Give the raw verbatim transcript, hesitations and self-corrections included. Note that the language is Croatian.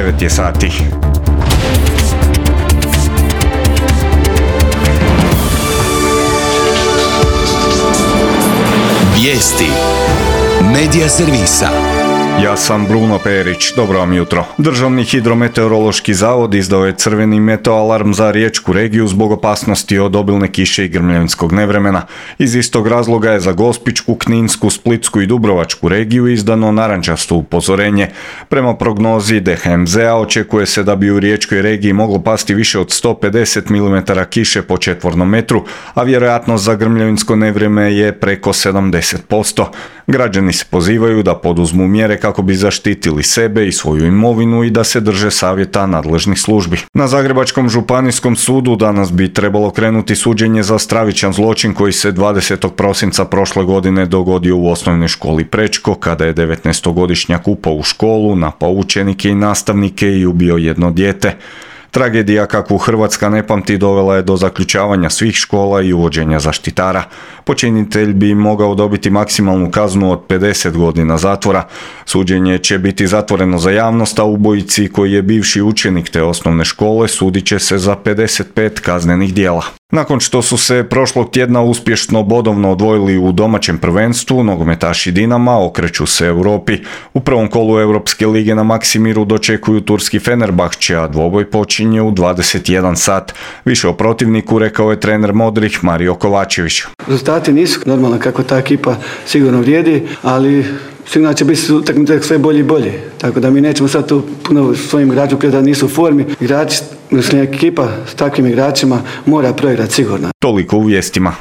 devet je sati. Vijesti Medija servisa. Ja sam Bruno Perić, dobro vam jutro. Državni hidrometeorološki zavod izdao je crveni meteoalarm za riječku regiju zbog opasnosti od obilne kiše i grmljavinskog nevremena. Iz istog razloga je za Gospićku, Kninsku, Splitsku i Dubrovačku regiju izdano narančasto upozorenje. Prema prognozi D H M Z-a očekuje se da bi u riječkoj regiji moglo pasti više od sto pedeset milimetara kiše po četvornom metru, a vjerojatnost za grmljavinsko nevrijeme je preko sedamdeset posto. Građani se pozivaju da poduzmu mjere kako bi zaštitili sebe i svoju imovinu i da se drže savjeta nadležnih službi. Na Zagrebačkom županijskom sudu danas bi trebalo krenuti suđenje za stravičan zločin koji se dvadesetog prosinca prošle godine dogodio u osnovnoj školi Prečko, kada je devetnaestogodišnjak upao u školu, napao učenike i nastavnike i ubio jedno dijete. Tragedija kakvu Hrvatska ne pamti dovela je do zaključavanja svih škola i uvođenja zaštitara. Počinitelj bi mogao dobiti maksimalnu kaznu od pedeset godina zatvora. Suđenje će biti zatvoreno za javnost, a ubojici koji je bivši učenik te osnovne škole sudit će se za pedeset pet kaznenih djela. Nakon što su se prošlog tjedna uspješno bodovno odvojili u domaćem prvenstvu, nogometaši Dinama okreću se Europi. U prvom kolu Europske lige na Maksimiru dočekuju turski Fenerbahče, a dvoboj počinje u dvadeset jedan sat. Više o protivniku rekao je trener Modrih Mario Kovačević. Rezultati nisu normalno kako ta ekipa sigurno vrijedi, ali sigurno će biti utakmice sve bolje i bolje. Tako da mi nećemo sad tu puno svojim igračima da nisu u formi. Igrači, ekipa s takvim igračima mora proigrati sigurno. Toliko u vijestima.